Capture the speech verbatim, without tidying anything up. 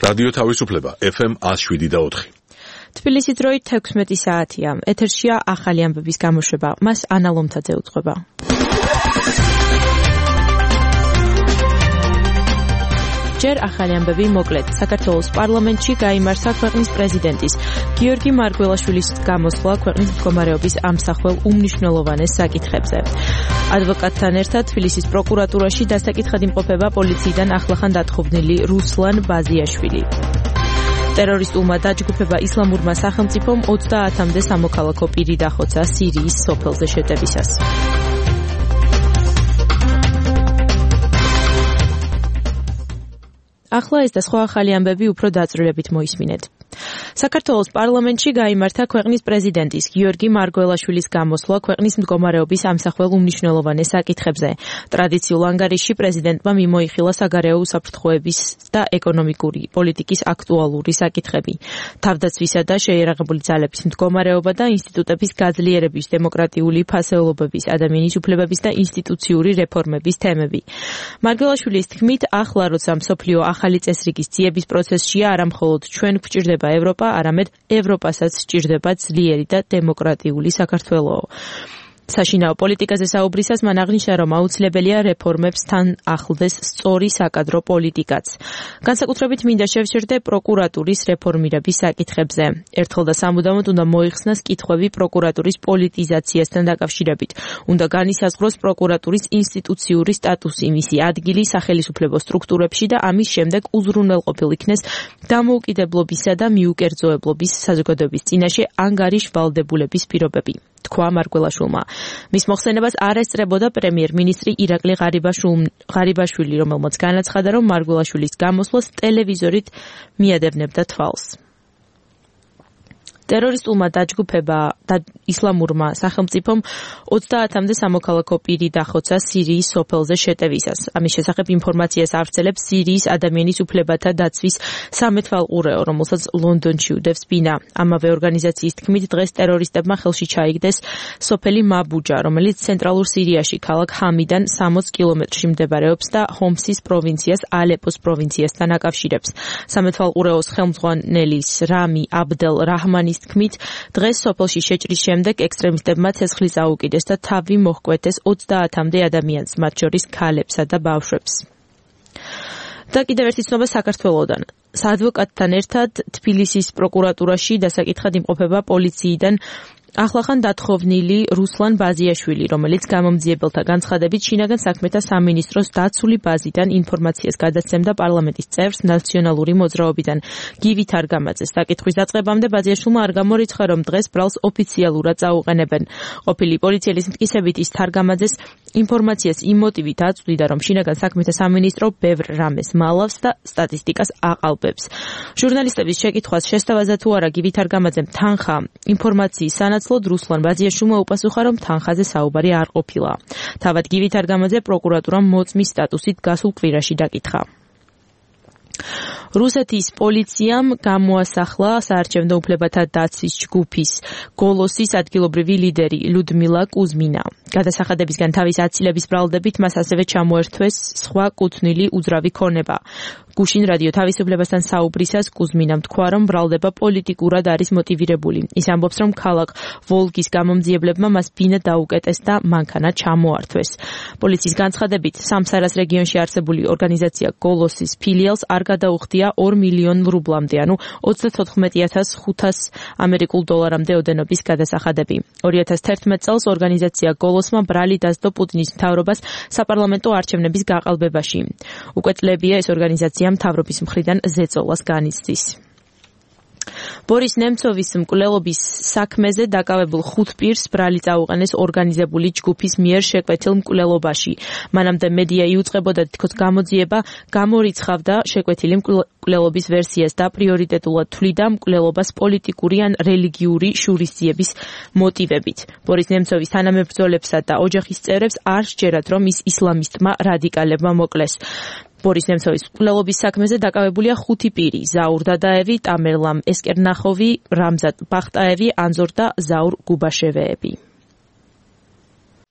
რადიო თავისუფლება ეფ ემ one oh seven და four. თბილისის დროით თექვსმეტი საათია. ეთერშია ახალი ამბების გამოშვება. მას ანა ლომთაძე უძღვება. ჯერ ახალი ამბები მოკლედ. საქართველოს პარლამენტში გაიმართა ქვეყნის პრეზიდენტის გიორგი მარგველაშვილის გამოსვლა ქვეყნის მდგომარეობის ამსახველ უმნიშვნელოვანეს საკითხებზე. ადვოკატთან ერთად თბილისის პროკურატურაში დასაკითხად იმყოფება პოლიციიდან ახლახან დათხოვნილი რუსლან ბაზიაშვილი. ტერორისტულმა დაჯგუფება ისლამურმა სახელმწიფომ ოცდაათამდე სამოქალაქო პირი დახოცა სირიის სოფელზე შეტევისას. ახლა ეს და სხვა ახალი ამბები უფრო დაწვრილებით მოისმინეთ. საქართველოს პარლამენტში გაიმართა ქვეყნის პრეზიდენტის გიორგი მარგველაშვილის გამოსვლა ქვეყნის მდგომარეობის ამსახველ უმნიშვნელოვანეს საკითხებზე. ტრადიციულ ანგარიშში პრეზიდენტმა მიმოიხილა საგარეო უსაფრთხოების და ეკონომიკური პოლიტიკის აქტუალური საკითხები. თავდაცვისა და შეიარაღებული ძალების მდგომარეობა და ინსტიტუტების გაძლიერების, დემოკრატიული ფასეულობების, ადამიანის უფლებების და ინსტიტუციური რეფორმების თემები. მარგველაშვილის თქმით, ახლა როცა მსოფლიო ახალი წესრიგის ძიების პროცესშია, არა მხოლოდ ჩვენ გვჭირდება ევროპა, არამედ ევროპასაც სჭირდება ძლიერი და დემოკრატიული საქართველო. საშინაო პოლიტიკაზე საუბრისას მან აღნიშნა, რომ აუცილებელია რეფორმებს თან ახლდეს სწორი საკადრო პოლიტიკაც. განსაკუთრებით მინდა შევშერდე პროკურატურის რეფორმირების საკითხებზე. ერთხელ და სამუდამოდ უნდა მოიხსნას კითხვები პროკურატურის პოლიტიზაციასთან დაკავშირებით. უნდა განისაზღვროს პროკურატურის ინსტიტუციური სტატუსი, მისი ადგილი სახელისუფლებო სტრუქტურებში და ამის შემდეგ უზრუნველყოფილ იქნეს დამოუკიდებლობისა და მიუკერძოებლობის საზოგადოების წინაშე ანგარიშ ვალდებულების პირობები. თქვა მარგველაშვილმა. მის მოხსენებას არ ესწრებოდა პრემიერ-მინისტრი ირაკლი ღარიბაშვილი, რომელმაც განაცხადა, რომ მარგველაშვილის გამოსვლას ტელევიზორით მიადევნებდა თვალს. ტერორისტულმა დაჯგუფება და ისლამურმა სახელმწიფომ ოცდაათამდე სამოქალაქო პირი დახოცა სირიის სოფელზე შეტევისას. ამის შესახებ ინფორმაციას ავრცელებს სირიის ადამიანის უფლებათა დაცვის სამეთვალყურეო, რომელსაც ლონდონში უდევს ბინა. ამავე ორგანიზაციის თქმით, დღეს ტერორისტებმა ხელში ჩაიგდეს სოფელი მაბუჯა, რომელიც ცენტრალურ სირიაში ქალაქ ჰამიდან სამოცდ კილომეტრში მდებარეობს და ჰომსის პროვინციას ალეპოს პროვინციასთან აკავშირებს. სამეთვალყურეოს ხელმძღვანელის რამი აბდელ რაჰმანის თქმით, დღეს სოფელში შეჭრის შემდეგ ექსტრემისტებმა ცეცხლი წაუკიდეს და თავი მოჰკვეთეს ოცდაათამდე ადამიანს, მათ შორის ქალებსა და ბავშვებს. და კიდევ ერთი ცნობა საქართველოდან. საადვოკატთან ერთად თბილისის პროკურატურაში დასაკითხად იმყოფება პოლიციიდან ახლახან დათხოვნილი რუსლან ბაზიაშვილი, რომელიც გამომძიებელთა განცხადებით შინაგან საქმეთა სამინისტროს დაცული ბაზიდან ინფორმაციას გადაცემდა პარლამენტის წევრს ნაციონალური მოძრაობიდან გივი თარგამაძეს. საკითხვის დაწყებამდე ბაზიაშვილმა არ გამორიცხა, რომ დღეს ბრალს ოფიციალურად წაუყენებენ. ყოფილი პოლიციელის მტკიცებით ის თარგამაძეს ინფორმაციას იმ მოტივით აწვდიდა, რომ შინაგან საქმეთა სამინისტრო ბევრ რამეს მალავს და სტატისტიკას აყალბებს. ჟურნალისტების შეკითხვას შესთავაზა თუ არა გივი თარგამაძემ თანხა ინფორმაციის სანაცვლოდ რუსლან ბაზიაშვილმა უპასუხა, რომ თანხაზე საუბარი არ ყოფილა. თავად გივი თარგამაძე პროკურატურამ მოწმის სტატუსით გასულ კვირაში დაკითხა. რუსეთის პოლიციამ გამოასახლა საარჩევნო უფლებათა დაცვის ჯგუფის გოლოსის ადგილობრივი ლიდერი ლუდმილა კუზმინა. გადასახადებისგან თავის აცილების ბრალდებით მას ასევე ჩამოერთვეს სხვა კუთვნილი უძრავი ქონება. გუშინ რადიო თავისუფლებასთან საუბრისას კუზმინამ თქვა, რომ ბრალდება პოლიტიკურად არის მოტივირებული. ის ამბობს, რომ ქალაქ ვოლგის გამომძიებლებმა მას ბინა დაუკეტეს და მანქანა ჩამოართვეს. პოლიციის განცხადებით, სამსარას რეგიონში არსებული ორგანიზაცია გოლოსის ფილიალს არ გადაუხდია ორ მილიონ რუბლამდე, ანუ ოცდათოთხმეტი ათას ხუთასი ამერიკულ დოლარამდე ოდენობის გადასახადები. ორი ათას თერთმეტ წელს ორგანიზაცია გოლოსმა ბრალი დასდო პუტინის მთავრობას საპარლამენტო არჩევნების გაყალბებაში. უკვე წლებია ეს ორგანიზაცია მთავრობის მხრიდან ზეწოლას განიცდის. ბორის ნემცოვის მკვლელობის საქმეზე დაკავებულ ხუთ პირს ბრალი წაუყენეს ორგანიზებული ჯგუფის მიერ შეკვეთილ მკვლელობაში. მანამდე მედია იუწყებოდა თქოს გამოძიება გამორიცხავდა შეკვეთილი მკვლელობის ვერსიას და პრიორიტეტულად თვლიდა მკვლელობას პოლიტიკური ან რელიგიური შურისძიების მოტივებით. ბორის ნემცოვის თანამებრძოლებსა და ოჯახის წევრებს არ სჯერათ, რომ ის ისლამისტმა რადიკალებმა მოკლეს. ბორის ნემცოვის მკვლელობის საქმეზე დაკავებულია ხუთი პირი: ზაურ დადაევი, ტამერლამ ესკერნახოვი, რამზან ბახტაევი, ანზორ და ზაურ გუბაშევეები.